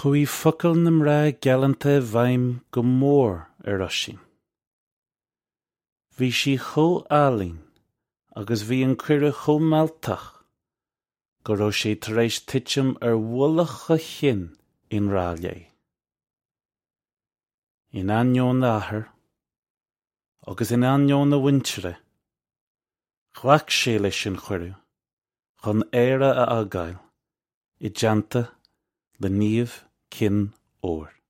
Chuaigh focail na mná galánta i bhfeidhm go mór ar Oisín. Bhí sí chomh álainn agus bhí an cuireadh chomh mealltach go raibh sé tar éis titim ar mhullach a chinn i ngrá léi. In ainneoin a athar agus in ainneoin a mhuintire, ghlac sé leis an chuireadh chun Éire a fhágáil i dteannta le Niamh Chinn Óir.